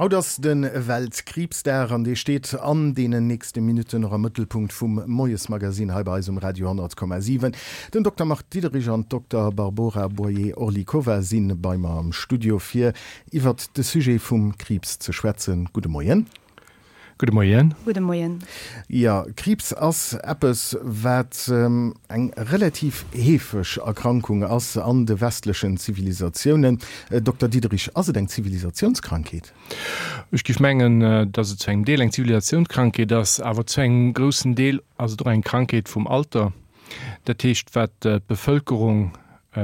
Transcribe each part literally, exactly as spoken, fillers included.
Haut ass de Weltkriibsdag an dee steet an deenen nächste Minutten och am Mëttelpunkt vum Moiesmagazin hei bei eis um Radio honnert Komma siwen. Den Dokter Marc Diederich an d'Dokter Barbora Boyer-Orlikova si bei mer am Studio fir iwwert de Sujet vum Kriibs ze schwätzen. Gudde Moien. Gudde Moien. Gudde Moien. Jo, Kriibs ass eppes, wat eng relativ heefeg Erkrankung ass an de westlechen Zivilisatiounen. Dokter Diederich, ass et eng Zivilisatiounskrankheet? Ech géif mengen, datt et zu engem Deel eng Zivilisatiounskrankheet ass, awer zu engem groussen Deel ass et och eng Krankheet vum Alter. Dat heescht, wat d'Bevëlkerung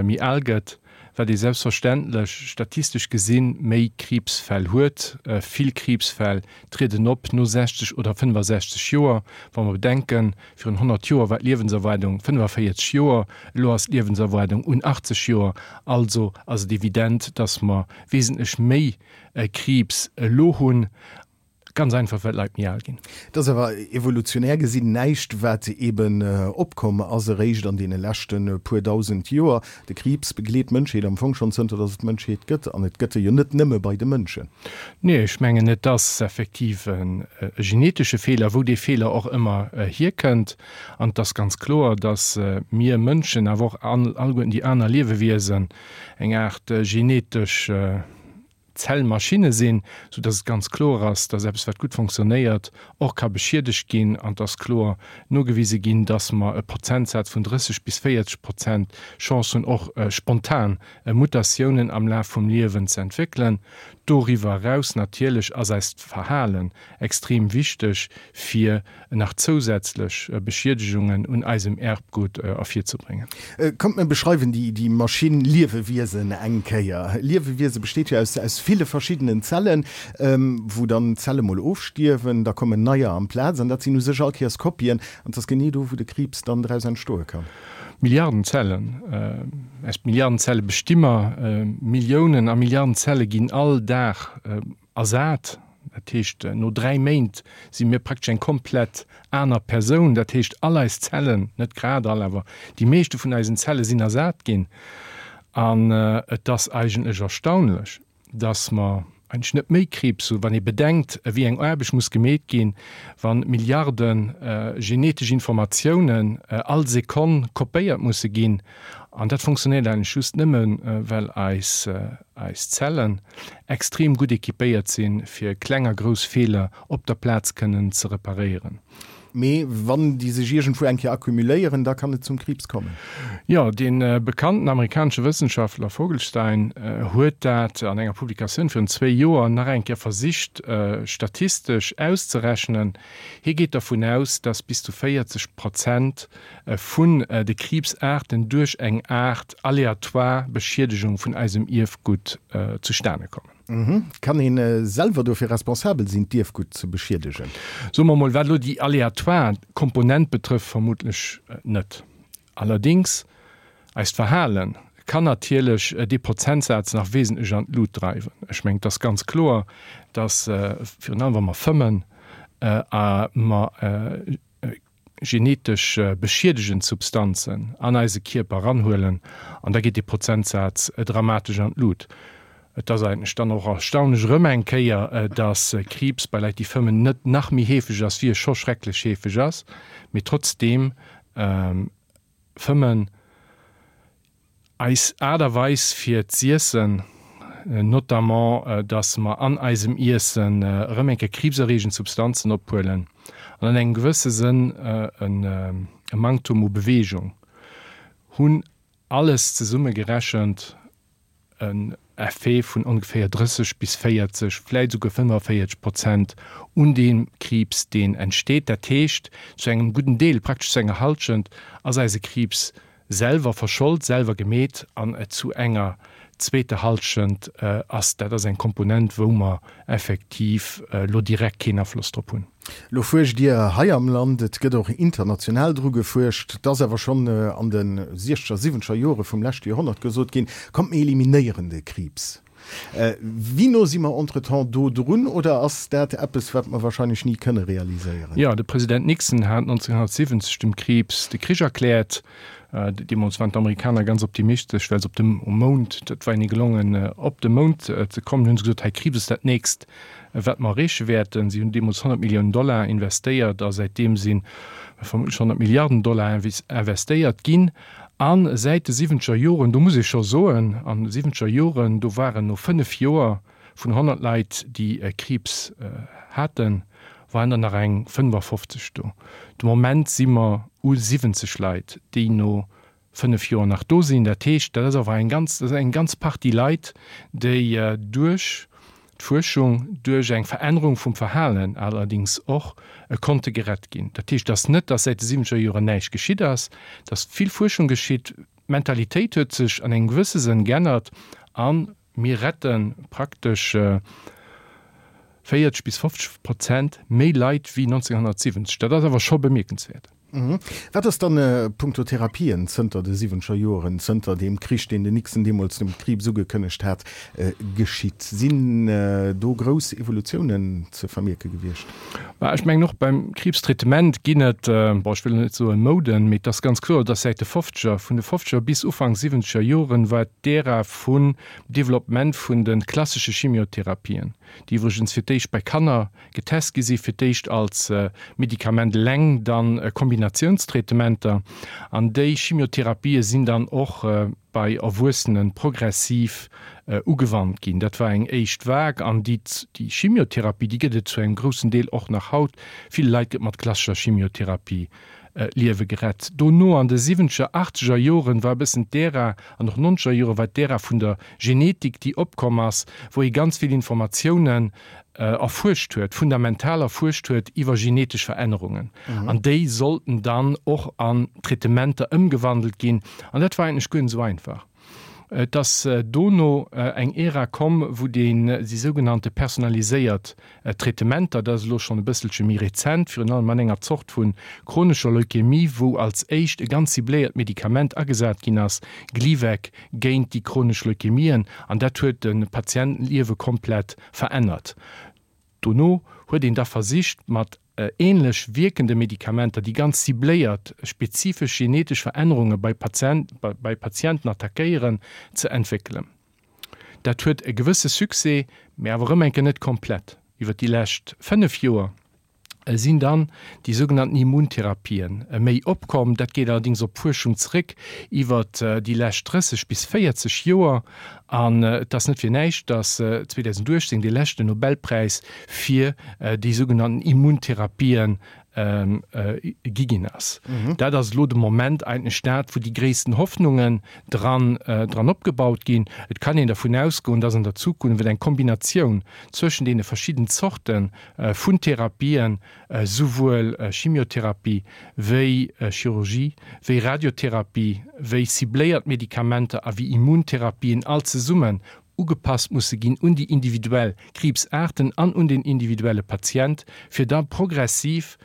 méi al gëtt, wat ee selbstverständlech statistesch gesinn méi Kriibsfäll huet. Vill Kriibsfäll trieden op no sechzeg oder fënnefasechzeg Joer. Wa mer bedenken, virun honnert Joer war d'Liewenserwaardung fënnefaféierzeg Joer, elo ass d'Liewenserwaardung un achtzeg Joer. Also ass et evident, dass mer wesentlech méi Kriibs elo hunn. Ganz einfach, well d'Leit méi al ginn. Et ass awer evolutionär gesinn näischt, wat eben opkomm ass eréischt an deene leschte puer dausend Joer. De Kriibs begleet d'Mënschheet am Fong schonn zënter datt et d'Mënschheet gëtt. An et gëtt e jo net nëmme bei de Mënschen. Nee, ech mengen, et ass effektiv e genetesche Feeler, wou dee Feeler och ëmmer hierkënnt. An et ass ganz kloer, datt mir Mënschen, awer och alleguerten déi aner Liewewiesen, eng Aart genetesch Zellmaschinne sinn, sou dass et ganz kloer ass, dass eppes wat gutt fonctionnéiert, och ka beschiedegt ginn. An et ass kloer nogewise ginn, dass mer e Prozentsaz vun drësseg bis véierzeg Prozent Chance hunn, och spontan Mutatiounen am Laf vum Liewen ze entwéckelen. Doriwwer eraus natierlech ass eist Verhalen extrem wichteg, fir nach zousätzlech Beschiedegungen un eisem Erbgut ervirzebréngen. Kommt mir beschreiwen déi Maschinn Liewewiesen eng Kéier. Liewewiese besteet jo aus ville verschiddenen Zellen, wou dann Zelle mol ofstierwen, da kommen neier amplaz an dat sinn u sech all Kéiers Kopien an et ass genee do, wou de Kriibs dann draus entstoe kann. Milliarden Zellen, aus Milliarden Zelle besti mer, Milliounen a Milliarden Zelle ginn all Dag ersat. Dat heescht, no dräi Méint si mir praktesch eng komplett aner Persoun. Dat heescht, all eis Zellen, net grad all, awer déi meeschte vun eisen Zelle sinn ersat ginn. An et ass eigentlech erstaunlech, dass mer eigentlech net méi Kriibs hunn, wann ee bedenkt, wéi eng Aarbecht muss gemeet ginn, wa Milliarde genetesch Informatiounen all Sekonn kopéiert musse ginn. An dat funktionéiert eigentlech just nëmmen, well eis eis Zellen extrem gutt equipéiert sinn, fir kleng a grouss Feeler op der Plaz kënnen ze reparéieren. Mee wann déi sech iergendwou eng Kéier accumuléieren, da kann et zum Kriibs kommen. Jo, dee bekannten amerikanesche Wëssenschaftler Vogelstein huet dat an enger Publikatioun virun zwéi Joer nach eng Kéier versicht statistesch auszerechnen. Hie geet dervun aus, datt bis zu véierzeg Prozent vun de Kriibsaarten duerch eng Aart aleatoire Beschiedegung vun eisem Ierfgutt zustane kommen. Kann ee selwer dofir responsabel sinn, d'Ierfgutt ze beschiedegen? Soe mer mol, wat elo déi aleatoire Komponent betrëfft, vermuttlech net. Allerdéngs, eist Verhale kann natierlech dee Prozentsaz nach wesentlech an d'Lut dreiwen. Ech mengen, et ass ganz kloer, datt virun allem wa mer fëmmen, a mer genetesch beschiedegend Substanzen an eise Kierper eranhuelen, an da geet dee Prozentsaz dramatesch an d'Lut. Et ass eigentlech dann och erstaunlech erëm eng Kéier, dass Kriibs bei Leit, déi fëmmen, net nach méi heefeg ass, wéi e scho schrecklech heefeg ass, mee trotzdeem fëmmen eis Aart a Weis fir z'iessen, notamment dass mer an eisem Iessen erëm eng Kéier kriibserreegend Substanzen ophuelen an an engem gewësse Sënn e Manktum u Beweegung hunn, alles zesumme gerechent en Effet vun ongeféier drësseg bis véierzeg, vläit esouguer fënnefaféierzeg Prozent un deem Kriibs, deen entsteet. Dat heescht, zu engem gudden Deel, praktesch zu enger Hallschent, ass eise Kriibs selwer verschold, selwer gemeet an zu enger zweeter Hallschent ass dat ass eng Komponent, wou mer effektiv elo direkt keen Afloss drop hunn. Elo fuerscht Dir hei am Land, et gëtt och international dru gefuerscht. Et ass awer schonn an de siechzeger, siwwenzeger Jore vum leschte Joerhonnert gesot ginn, Kommt mir eliminéieren de Kriibs. Wéi no si mer entretemps do drun oder ass dat eppes, wat mer wahrscheinlech ni kënne realiséieren? Jo, de President Nixon hat nonzénghonnertsiwwenzeg dem Kriibs de Krich erkläert. Deemools waren d'Amerikaner ganz optimistesch, well se op dem um Mound, dat war hinne gelongen, op de Mound ze kommen, hunn se gesot, hei Kriibs ass dat nächst, wat mer erreeche wäerten. Si hunn deemools honnert Milliounen Dollar investéiert a säitdeem si vermuttlech honnert Milliarden Dollar investéiert ginn. A säit de siwwenzeger Joren, do muss ee scho soen, an de siwwenzeger Joren, do waren no fënnef Joer vun honnert Leit, déi Kriibs haten, waren der nach eng fënnefafofzeg do. De Moment si mer u siwwenzeg Leit, déi no fënnef Joer nach do sinn. Dat heescht, dat ass awer eng ganz, dat ass eng ganz Partie Leit, déi duerch d'Fuerschung, duerch eng Verännerung vum Verhalen allerdings och, konnte gerett ginn. Dat heescht, et ass net, datt säit de siwwenzeger Joren näischt geschitt ass, et ass vill Fuerschung geschitt, d'Mentalitéit huet sech an engem gewësse Sënn geännert a mir rette praktesch véierzeg bis fofzeg Prozent méi Leit wéi nonzénhunnertsiwwenzeg. Dat ass awer scho bemierkenswäert. Wat ass dann punkto Therapien zënter de siwwenzeger Joren, zënter deem Krich, deen den Nixon deemools dem Kriibs ugekënnegt hat, geschitt? Sinn do grouss Evolutiounen ze vermierke gewiescht? Bah, ech mengen, och beim Kriibstraitement ginn et, bon, ech wëll net soen Mouden, mee et ass ganz kloer, dass säit de fofzeger, vun de fofzeger bis Ufank siwwenzeger Joren war d'Ära vun Developpement vun de klassesche Chimiotherapien, déi iwwregens fir d'éischt bei Kanner getest gi si fir d'éischt als Medikament eleng, dann Kombinatiounstraitementer, an déi Chimiotherapië sinn dann och bei Erwuessene progressiv ugewannt ginn. Dat war eng éischt Vague, an déi Chimiotherapie, déi gëtt et zu engem groussen Deel och nach haut. Vill Leit gëtt mat klassescher Chimiotherapie d'Liewe gerett. Dono an de siwwenzeger, achtzeger Joren war e bëssen d'Ära, an och nonzeger Jore war d'Ära vun der Genetik, déi opkomm ass, wou ee ganz vill Informatiounen erfuerscht huet, fundamental erfuerscht huet iwwer genetesch Verännerungen. An déi sollten dann och an Traitementer ëmgewandelt ginn. An dat war eigentlech guer net esou einfach. Et ass dono eng Ära komm, wou deen, déi sougenannte personaliséiert Traitementer, dat ass elo schonn e bësselche méi rezent, virun allem an enger Zort vu chronescher Leukämie, wou als éischt e ganz cibléiert Medikament agesat ginn ass, Gleevec, géint déi chronesch Leukämien, an dat huet de Patientenliewe komplett verännert. Dono huet een da versicht, mat änlech wierkende Medikamenter, déi ganz cibléiert spezifesch genetesch Verännerunge bei bei Patienten attackéieren, ze entwéckelen. Dat huet e gewësse Succès, mä awer erëm eng Kéier net komplett. Iwwer déi lescht fënnef Joer sinn dann déi sougenannten Immuntherapien méi opkomm. Dat geet allerdings op d'Fuerschung zréck iwwer déi lescht drësseg bis véierzeg Joer. An et ass net fir näischt, datt zweedausenduechtzéng dee leschten Nobelpräis fir déi sougenannten Immuntherapien gi ginn ass. Dat ass elo de Moment eigentlech dat, wou déi gréissten Hoffnungen dran dran opgebaut ginn. Et kann een dervun ausgoen, datt an der Zukunft eng Kombinatioun zwëschen deene verschidden Zorte vun Therapien, souwuel Chimiotherapie wéi Chirurgie, wéi Radiotherapie, wéi cibléiert Medikamenter a wéi Immuntherapien all zesummen ugepasst musse ginn un déi individuell Kriibsaarten an un den individuelle Patient, fir da progressiv,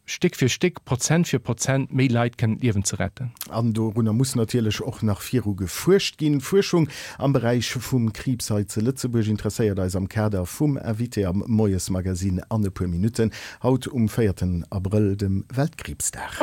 Stéck fir Stéck, Prozent fir Prozent méi Leit kënnen d'Liewen ze retten. An dorunner muss natierlech och nach viru gefuerscht ginn. Fuerschung am Beräich vum Kriibs hei zu Lëtzebuerg interesséiert eis am Kader vum Invité am Moiesmagazine an e puer Minutten, haut um véierten Abrëll, dem Weltkriibsdag.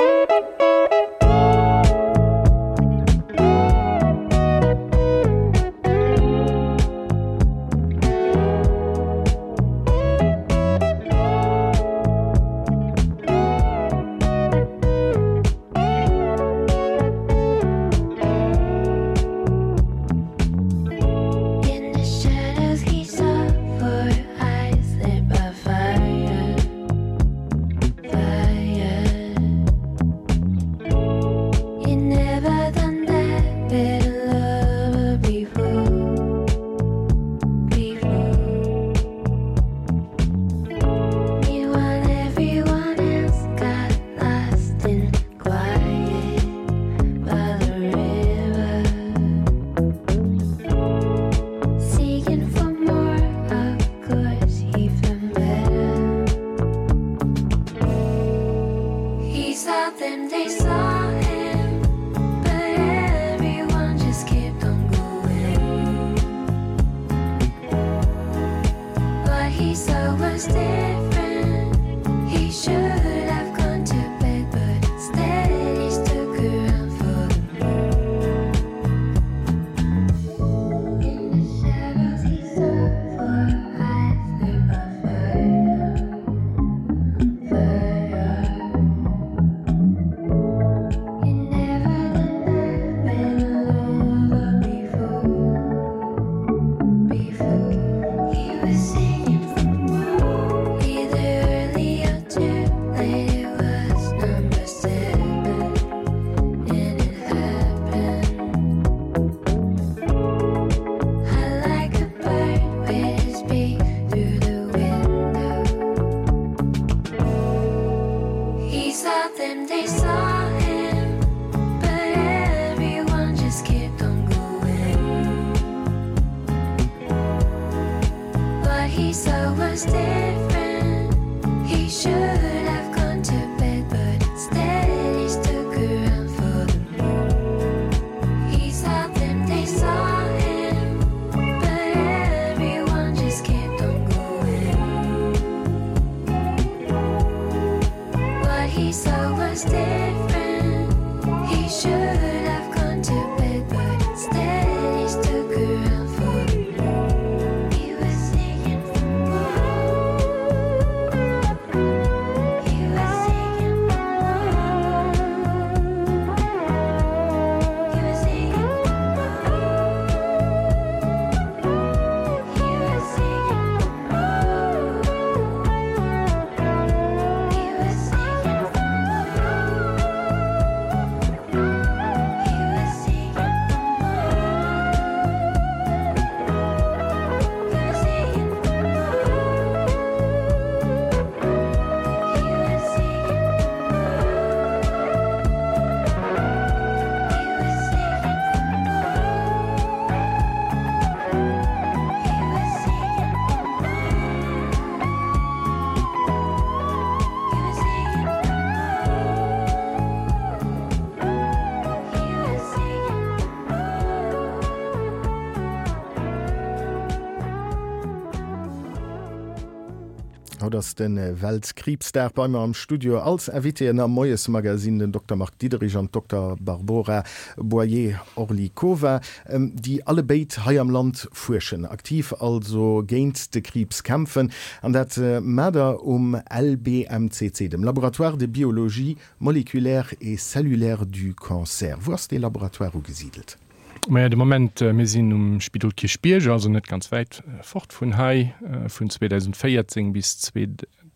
Haut ass de Weltkriibsdag. Bei mer am Studio als Invitéen am Moiesmagazin den Dokter Marc Diederich an d'Dokter Barbora Boyer-Orlikova, déi allebéid hei am Land fuerschen, aktiv also géint de Kriibs kämpfen. An dat maacht der um L B M C C, dem Laboratoire de biologie moléculaire et cellulaire du cancer. Wou ass dee Laboratoire ugesidelt? Maja, de Moment, mir sinn um Spidol Kierchbierg, also net ganz wäit fort vun hei. Vun zweedausendvéierzéng bis zwee,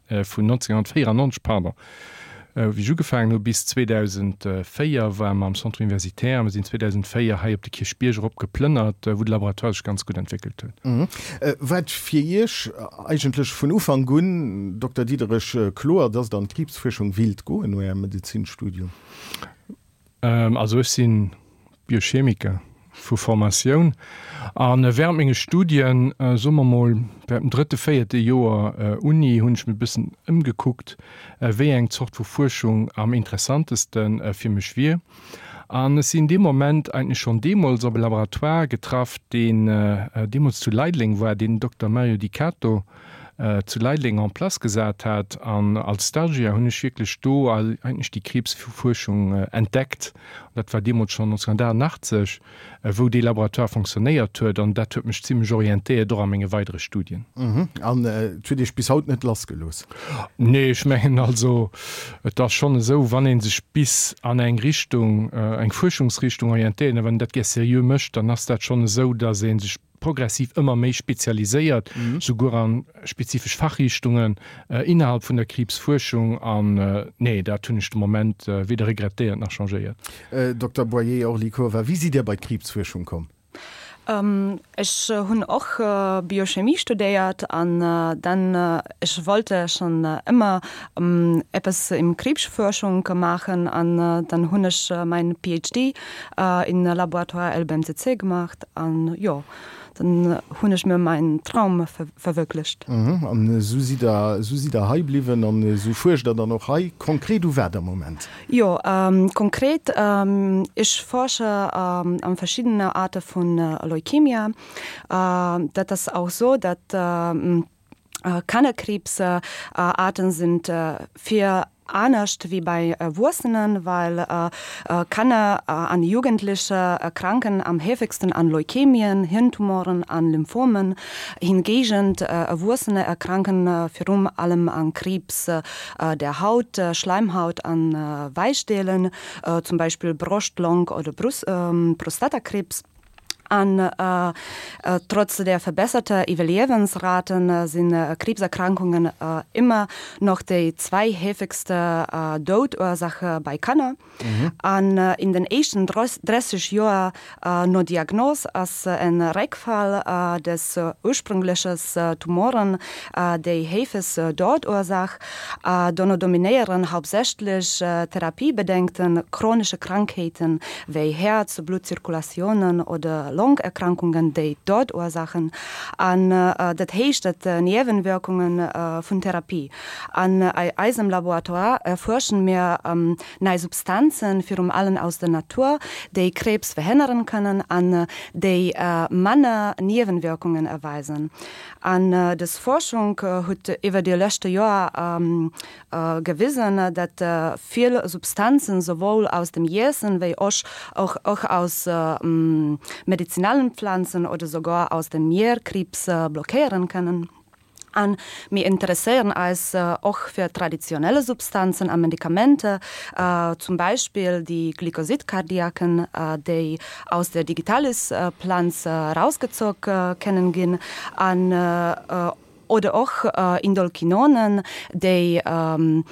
vun nonzénghonnertvéierannonzeg, pardon, wéi ech ugefaangen hu bis zweedausendvéier ware mer am Centre universitaire. Mir sinn zweedausendvéier hei op de Kierchbierg erop geplënnert, wou de Laboratoire sech ganz gutt entwéckelt huet. War et fir Iech eigentlech vun Ufank un, Dokter Diederich, kloer, dass Der an d'Kriibsfuerschung willt goen no Ärem Medezinstudium? Also ech sinn Biochemiker vu Formatioun an während menge Studien, soe mer mol während dem drëtte, véierte Joer Uni, hunn ech mech e bëssen ëmgekuckt, wéi eng Zort vu Fuerschung am interessanteste fir mech wier. An ech sinn dee Moment eigentlech schonn deemools op e Laboratoire getraff, deen deemools zu Leideleng war, deen den Dokter Mario Di Cato zu Leideleng en place gesat hat. An als Stagiaire hunn ech wierklech do eigentlech déi Kriibsfuerschung entdeckt. Dat war deemools schonn nonzénghonnertachtundachtzeg, wou dee Laboratoire fonctionnéiert huet. An dat huet mech zimlech orientéiert, och a menge weidere Studien. An et huet Iech bis haut net lassgelooss? Nee, ech mengen also, et ass schonn esou, wann ee sech bis an eng Richtung, eng Fuerschungsrichtung orientéiert, a wann een dat gär seriö mécht, dann ass dat schonn esou, datt ee sech progressiv ëmmer méi spezialiséiert, souguer a spezifesch Fachrichtungen innerhalb vun der Kriibsfuerschung. An nee, dat hunn ech de Moment weder regrettéiert nach changéiert. Dokter Boyer-Orlikova, wéi sidd Dir bei d'Kriibsfuerschung komm? Ech hunn och Biochemie studéiert an dann ech wollte schon ëmmer eppes im Kriibsfuerschung maachen an dann hunn ech mein P H D in Laboratoire L B M C C gemacht an jo, dann hunn ech mir meinen Traum verwirklicht. An esou sidd Der, esou sidd Der hei bliwwen an esou fuerscht Der dann och hei. Konkret u wat am Moment? Jo, konkret, ech forsche an verschiddene Aarte vun Leukemia. Dat ass auch so, dat Kannerkriibsarten sind vill anescht wéi bei Erwuessenen, well Kanner an Jugendliche erkranken am häufigsten an Leukämien, Hirntumoren, an Lymphomen. Hingegen Erwuessene erkranken virum allem an Krebs der Haut, Schleimhaut an Weichdelen, zum Beispiel Brust-, Long- oder Brust Prostatakrebs. An äh, trotz der verbesserter Iwwerliewensraten sinn Kriibserkrankungen äh, ëmmer nach déi zweithäufigste äh, Doudursache bei Kanner. An äh, in den éischten dräisseg Joer äh, no Diagnos ass en Réckfall äh, des ursprüngleches Tumoren äh, déi häufigst Doudursaach. Äh, dono dominéieren hauptsächlich äh, therapiebedingten chronische Krankheeten wéi Häerz-, Bluttzirkulationen oder Longerkrankungen, déi Doudursachen. An äh, dat heescht, dat äh, Niewenwirkungen äh, vun Therapie. An äh, eisem Laboratoire erfuerschen mir ähm, nei Substanzen virum allen aus der Natur, déi Krebs verhënneren kënnen an déi äh, manner Niewenwirkungen erweisen. An äh, des Forschung äh, huet iwwer déi leschte Joer ähm, äh, gewisen, dat äh, vill Substanzen sowohl aus dem Iessen wéi och, och, och aus äh, medizinalen Pflanzen oder sogar aus dem Mier Kriibs äh, blockéieren kënnen. An mir interesséieren eis äh, och fir traditionelle Substanzen a Medikamenter, äh, zum Beispill déi Glykosidkardiaken, äh, déi aus der Digitalis-Planz äh, rausgezogen äh, kënnen ginn, an äh, oder och äh, Indolquinonen, déi ähm,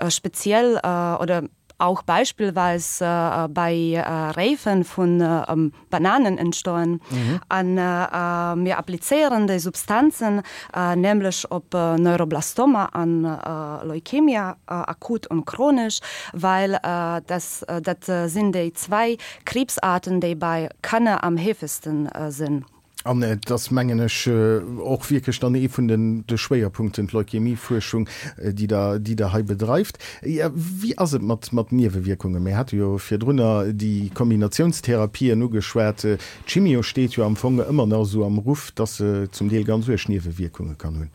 speziell äh, oder auch beispillweis äh, bei äh, Räifen vun äh, Bananen entstoen. Mhm. An äh, mir applizéieren déi Substanzen äh, nämlech op äh, Neuroblastoma an äh, Leukemia äh, akut und chronisch, well äh, das, äh, dat sinn déi zwee Kriibsarten, déi bei Kanner am häufigsten äh, sinn. An et ass mengen ech och wierklech dann ee vun den de Schwéierpunkten, d'Leukämiefuerschung, déi Der déi Der hei bedreift. Wéi ass et mat mat Niewewierkungen? Mir hate jo virdrunner déi Kombinatiounstherapien ugeschwat. D'Chimio steet jo am Fong ëmmer nach esou am Ruff, dass se zum Deel ganz uerg Niewewierkunge kann hunn.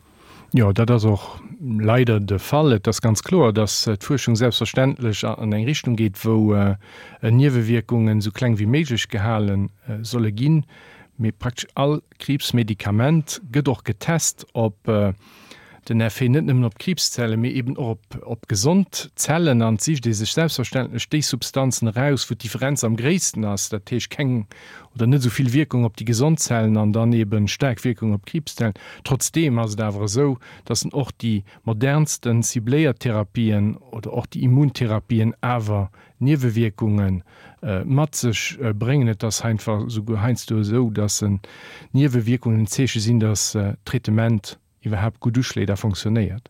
Jo, dat ass och leider de Fall. Et ass ganz kloer, dass d'Fuerschung selbstverständlech an eng Richtung geet, wou Niewewierkungen esou kleng wéi méiglech gehale solle ginn. Mee praktesch all Kriibsmedikament gëtt och getest op den Effet net nëmmen op d'Kriibszellen, mee eben och op op gesond Zellen. An et sicht ee sech selbstverständlech déi Substanzen eraus, wou d'Differenz am gréissten ass, dat heescht keng oder net esou vill Wierkung op déi gesond Zellen an dann eben staark Wierkung op d'Kriibszellen. Trotzdeem ass et awer esou, dass en och déi modernsten cibléiert Therapien oder och déi Immuntherapien awer Niewewierkunge mat sech bréngen. Et ass einfach esouguer heiansdo esou, dass Niewewierkungen en Zeeche sinn, dass d'Traitement iwwerhaapt gutt uschléit a fonctionnéiert.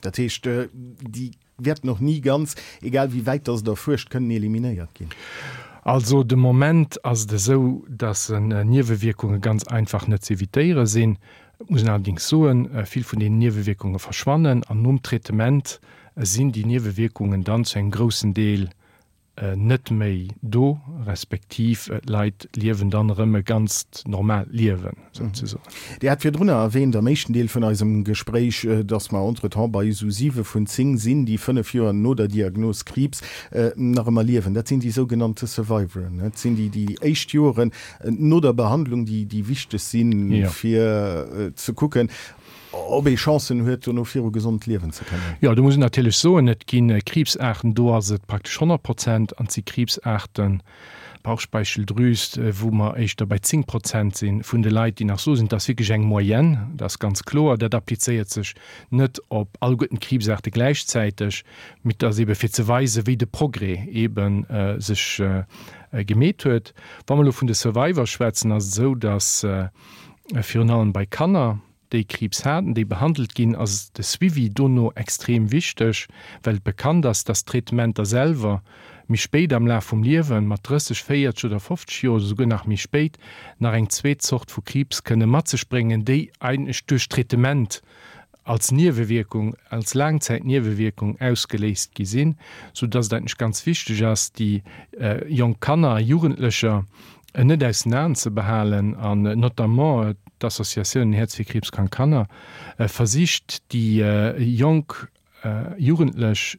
Dat heescht, déi wäerten och ni ganz, egal wéi wäit dass et erfuerscht, kënnen eliminéiert ginn? Also de Moment ass et esou, dass Niewewierkunge ganz einfach net z'evitéiere sinn. Et muss een allerdéngs soen, vill vun deenen Niewewierkunge verschwannen an nom Traitement sinn déi Niewewierkungen dann zu engem groussen Deel net méi do, respektiv d'Leit liewen dann erëm e ganzt normaalt Liewen souzesoen. Dir hat virdrunner erwähnt am éischten Deel vun eisem Gespréich, dass mer entretemps bei esou siwe vun zéng sinn, déi fënnef Joer no der Diagnos Kriibs nach ëmmer liewen. Dat sinn déi sougenannte Survivoren. Dat sinn déi, déi déi éischt Joren no der Behandlung, déi déi wichteg sinn, fir ze kucken, ob ee Chancen huet, dono viru gesond liewen ze kënnen. Jo, do muss een natierlech soen, et gi Kriibsaarten, do ass et praktesch honnert Prozent, an et si Kriibsaarten, Bauchspeicheldrüs, wou mer éischter bei zéng Prozent si vun de Leit, déi nach so sinn. Dat ass wierklech eng Moyenne, dat ass ganz kloer. Dat applizéiert sech net op alleguerten d'Kriibsaarte gläichzäiteg, mee et ass eebe fir ze weisen, wéi de Progrès eebe sech gemeet huet. Wa mer elo vun de Survivor schwätzen, ass et esou, datt virun allem bei Kanner, déi Kriibs haten, déi behandelt ginn, ass de Suivi dono extrem wichteg, well et bekannt ass, dass d'Traitementer selwer méi spéit am Laf vum Liewen, mat drësseg, véierteg oder fofzeg Joer oder souguer nach méi spéit, nach eng zweet Zort vu Kriibs kënne mat sech bréngen, déi eigentlech duerch d'Traitement als Niewewierkung, als Laangzäitniewewierkung ausgeléist gi sinn, soudass et eigentlech ganz wichteg ass, déi jonk Kanner a Jugendlecher net aus den Aen ze behalen an notamment d'Associatioun Häerz fir kriibskrank Kanner versicht déi jonk Jugendlech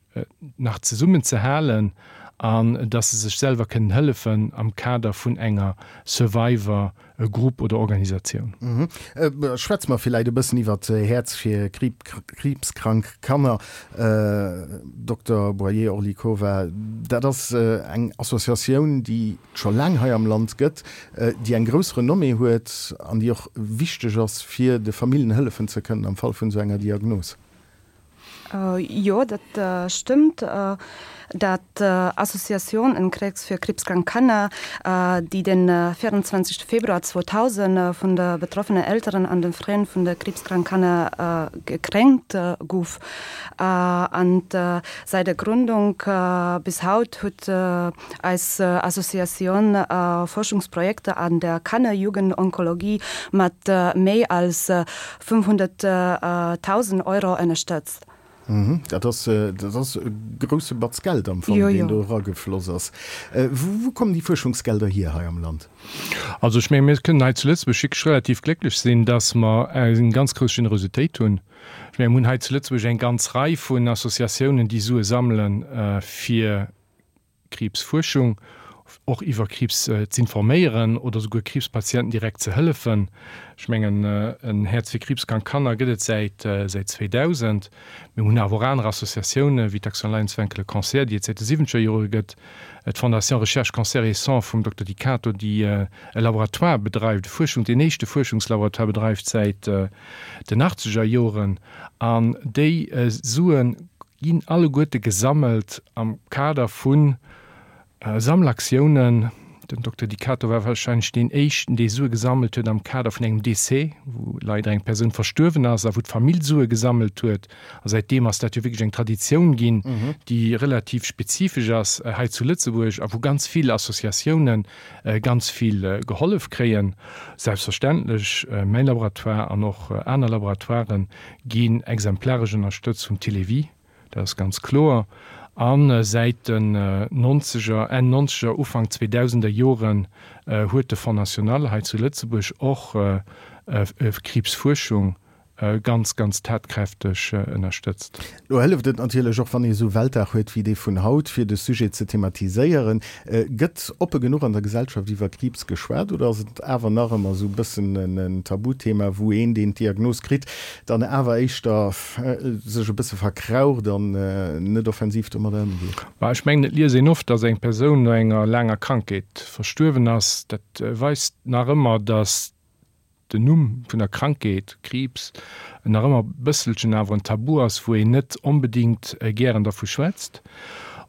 nach zesummen ze halen an dass se sech selwer kënnen hëllefen am Kader vun enger Survivor Grupp oder Organisatioun. Schwätze mer villäit e bëssen iwwert Häerz fir kriibskrank Kanner. Dokter Boyer-Orlikova, dat ass eng Associatioun, déi et scho laang hei am Land gëtt, déi eng grouss Renommée huet an déi och wichteg ass, fir de Familljen hëllefen ze kënnen am Fall vun esou enger Diagnos. Jo, dat stëmmt. Dat Associatioun en Krebs für krebskrank Kanner, déi den vierundzwanzigste Februar zweitausend vun de betroffenen Elteren an den Frënn vun de krebskrank Kanner gekränkt gouf. An säit der Gründung bis haut huet eis Associatioun Forschungsprojekter an der Kanner-Jugendonkologie mat méi als fünfhunnerttausend Euro ënnerstëtzt. Dat ass, dat ass e grousse Batz Geld am Fong, deen do eragefloss ass. Wou kommen déi Fuerschungsgelder hier hei am Land? Also ech menge mir kënnen hei zu Lëtzebuerg wierklech relativ glécklech sinn, datt mer eng ganz grouss Generositéit hunn. Ech menge mir hunn hei zu Lëtzebuerg eng ganz Rei vun Associatiounen, déi Sue sammele fir Kriibsfuerschung, och iwwer Kriibs z'informéieren oder souguer Kriibspatienten direkt ze hëllefen. Ech mengen, en Häerz fir kriibskrank Kanner gëtt et säit säit zweedausend. Mir hunn awer och aner Associatioune wéi d'Action Lions Vaincre le Cancer, déi et säit de siwwenzeger Jore gëtt, d'Fondation Recherche Cancer et Sang vum Dokter Di Cato, déi e Laboratoire bedreift, e Fuerschung, deen éischte Fuerschungslaboratoire bedreift säit den achtzeger Joren. An déi Sue ginn alleguerte gesammelt am Kader vu Sammelaktiounen. Den Dokter Di Cato war wahrscheinlech deen éischten, dee Sue gesammelt huet am Kader vun engem Décès, wou leider eng Persoun verstuerwen ass a wou d'Famill Sue gesammelt huet. A säitdeem ass dat jo wierklech eng Traditioun ginn, déi relativ spezifesch ass hei zu Lëtzebuerg a wou ganz vill Associatioune ganz vill gehollef kréien. Selbstverständlech mäin Laboratoire an och aner Laboratoiren ginn exemplaresch ënnerstëtzt vum Télévie. Dat ass ganz kloer. A säit den nonzeger, Enn nonzeger, Ufank zweedausender Joren huet de Fonds national hei zu Lëtzebuerg och Kriibsfuerschung ganz, ganz tatkräfteg ënnerstëtzt. Lo hëlleft et natierlech och, wann ee sou Weltdag huet wéi dee vun haut, fir de Sujet ze thematiséieren. Gëtt oppe genuch an der Gesellschaft iwwer Kriibs geschwat oder ass et awer nach ëmmer sou e bëssen en Tabuthema, wou een, deen d'Diagnos kritt, dann awer éischter sech e bësse verkraucht an net offensiv domadder ëmgeet? Bah, ech mengen, et liest een oft, dass eng Persoun no enger laanger Krankheet verstuerwen ass. Dat weist nach ëmmer, dass den Numm vun der Krankheet, Kriibs, nach ëmmer e bësselchen awer en Tabu ass, wou een net onbedéngt gären dervu schwätzt.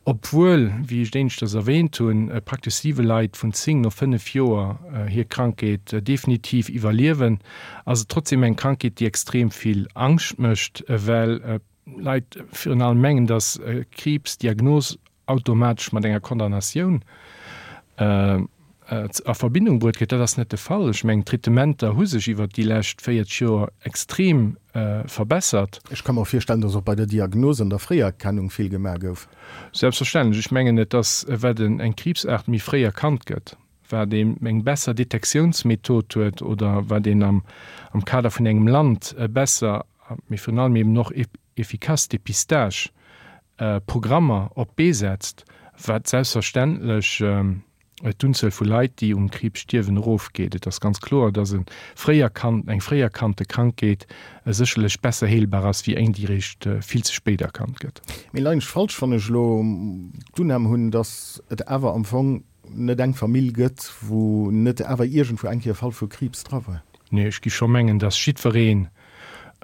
Obwuel, wéi ech éineschters erwähnt hunn, praktesch siwe Leit vun zéng no fënnef Joer hir Krankheet definitiv iwwerliewen, ass et trotzdem eng Krankheet, déi extrem vill Angscht mécht, well Leit virun allem mengen, dass Kriibsdiagnos automatesch mat enger Condamnatioun a Verbindung bruet gëtt. Dat ass net de Fall. Ech mengen, d'Traitementer hu sech iwwert déi lescht véierzeg Joer extrem verbessert. Ech ka mer och virstellen, dass och bei der Diagnos an der Fréierkennung vill gemaach gouf. Selbstverständlech. Ech mengen, et ass, wat eng Kriibsaart méi fréi erkannt gëtt, wat een eng besser Detektiounsmethod huet oder wat een am Kader vun engem Land besser, mee virun allem eben och efficace Dépistage Programmer op d'Bee setzt, wat selbstverständlech d'Unzuel vu Leit, déi um Kriibs stierwen, erofgeet. Et ass ganz kloer, dass e fréi erkannt, eng fréi erkannte Krankheet sécherlech besser heelbar ass wéi eng, déi eréischt vill ze spéit erkannt gëtt. Mee leien ech falsch, wann ech elo d'Unnam hunn, dass et awer am Fong net eng Famill gëtt, wou net awer iergendwou eng Kéier e Fall vu Kriibs dra war? Nee, ech gi scho mengen, dass jiddwereen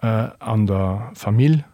an der Famill,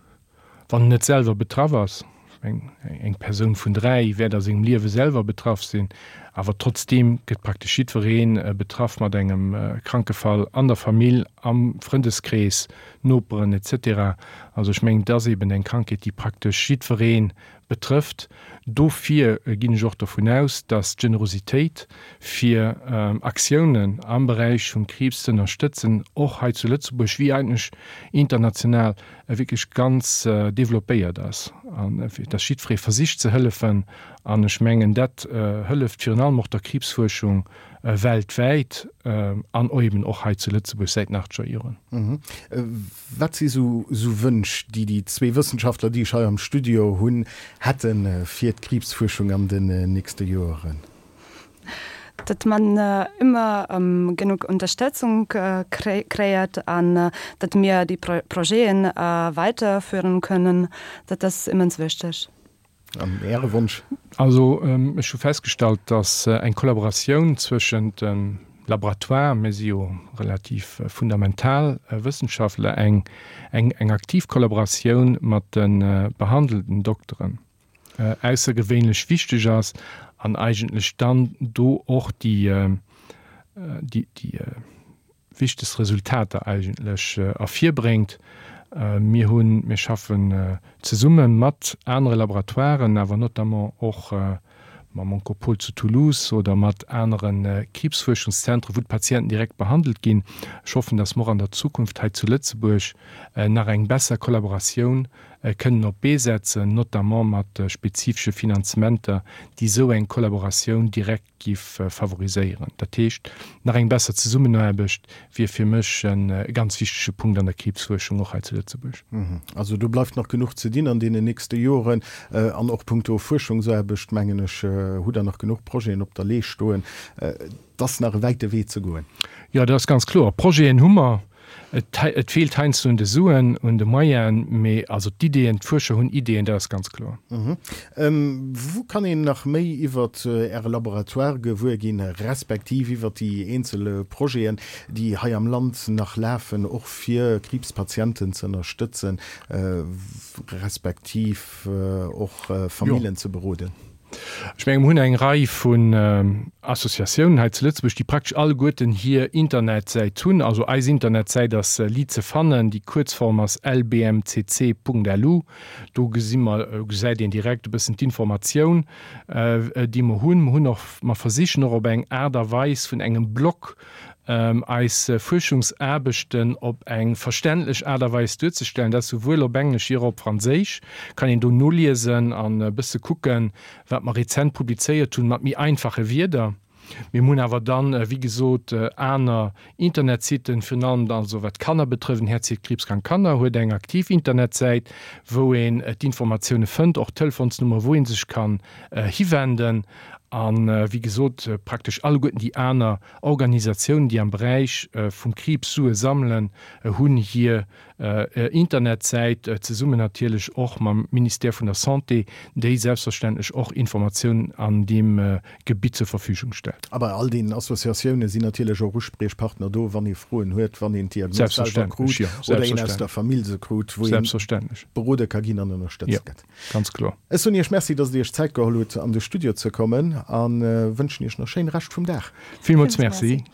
wann en net selwer betraff ass, eng Persoun vun dräi wäert a sengem Liewe selwer betraff sinn, awer trotzdeem gëtt praktesch jiddweree betraff mat engem Krankefall an der Famill, am Frëndeskrees, Noperen et cetera. Also ech mengen, et ass eben eng Krankheet, déi praktesch jiddweree betrëfft. Dofir ginn ech och dovun aus, dass d'Generositéit fir Aktiounen am Beräich vum Kriibs ze ënnerstëtzen, och hei zu Lëtzebuerg wéi eigentlech international, wierklech ganz developpéiert ass an dass jiddweree versicht ze hëllefen. An ech mengen, dat hëlleft virun allem och der Kriibsfuerschung weltwäit an eben och hei zu Lëtzebuerg säit den achtzeger Joren. Wat si sou Wënsch, déi déi zwee Wëssenschaftler, déi ech hei am Studio hunn, hätte fir d'Kriibsfuerschung an den nächste Joren? Datt man ëmmer genuch Unterstützung kréiert an datt mir déi Projeten weiterführen können, dat ass immens wichteg. An Äre Wonsch? Also ech hu festgestallt, datt eng Kollaboratioun zwëschent dem Laboratoire, mir si jo relativ fundamental Wëssenschaftler, eng eng aktiv Kollaboratioun mat de behandelnden Dokteren aussergewéinlech wichteg ass an eigentlech dann do och déi déi wichtegst Resultater eigentlech ervirbréngt. Mir hunn, mir schaffen zesumme mat anere Laboratoiren, awer notamment och mam Oncopôle zu Toulouse oder mat anere Kriibsfuerschungszentren, wou d'Patienten direkt behandelt ginn. Ech hoffen, dass mer och an der Zukunft hei zu Lëtzebuerg nach eng besser Kollaboratioun kënnen op d'Bee setzen, notamment mat spezifesche Finanzementer, déi esou eng Kollaboratioun direkt giff favoriséieren. Dat heescht, nach eng besser Zesummenaarbecht wier fir mech e ganz wichtege Punkt an der Kriibsfuerschung, och hei zu Lëtzebuerg. Also do bleift nach genuch ze dinn an deenen nächste Joren. An och punkto Fuerschungsaarbecht, mengen ech, hutt Der nach genuch Projeten op der Lee stoen. Et ass nach e wäite Wee ze goen. Jo, dat ass ganz kloer. Projeten hu mer. Et feelt heiansdo un de Suen, un de Moyenen, mee also d'Iddeen, d'Fuerscher hunn Iddeen, dat ass ganz kloer. Wou kann een nach méi iwwer Äre Laboratoire gewuer ginn, respektiv iwwer déi eenzel Projeten, déi hei am Land nach lafen, och fir Kriibspatienten ze ënnerstëtzen, respektiv och Famillen ze beroden? Ech menge mer hunn eng Rei vun Associatiounen hei zu Lëtzebuerg, déi praktesch alleguerten hir Internetsäit hunn. Also eis Internetsäit ass liit ze fannen, déi Kuerzform ass lbmcc.lu. Do gesi mer, gesäit een direkt e bëssen d'Informatioun, déi mer hunn. Mer hunn och, mer versichen och op eng Aart a Weis vun engem Blog eis Fuerschungsaarbechten op eng verständlech Aart a Weis duerzestellen, dat souwuel op Englesch wéi och op Franséisch, kann een do noliesen an e bësse kucken, wat mer rezent publizéiert hunn, mat méi einfache Wierder. Mir hunn awer dann, wéi gesot, aner Internetsitten, virun allem also wat Kanner betrëffen, Häerzheet Kriibskrank Kanner huet eng aktiv Internetsäit, wou een d'Informatioune fënnt, och d'Telefonsnummer, wou ee sech kann hiwenden. An, wéi gesot, praktesch alleguerten déi aner Organisatiounen, déi am Beräich vum Kriibs Sue sammelen, hunn hir Internetsäit, zesummen natierlech och mam Ministère vun der Santé, déi selbstverständlech och Informatiounen an deem Gebitt zur Verfügung stellt. A bei all deenen Associatioune sinn natierlech och Uspriechpartner do, wann ee Froen huet, wann een d'Diagnos selwer krut oder een aus der Famill se krut, wou ee berode ka ginn an ënnerstëtzt gëtt. Ganz kloer. Ech soen Iech Merci, dass Der Iech d'Zäit geholl hutt, an de Studio ze kommen a wënschen Iech nach schéine Rescht vum Dag. Villmools Merci.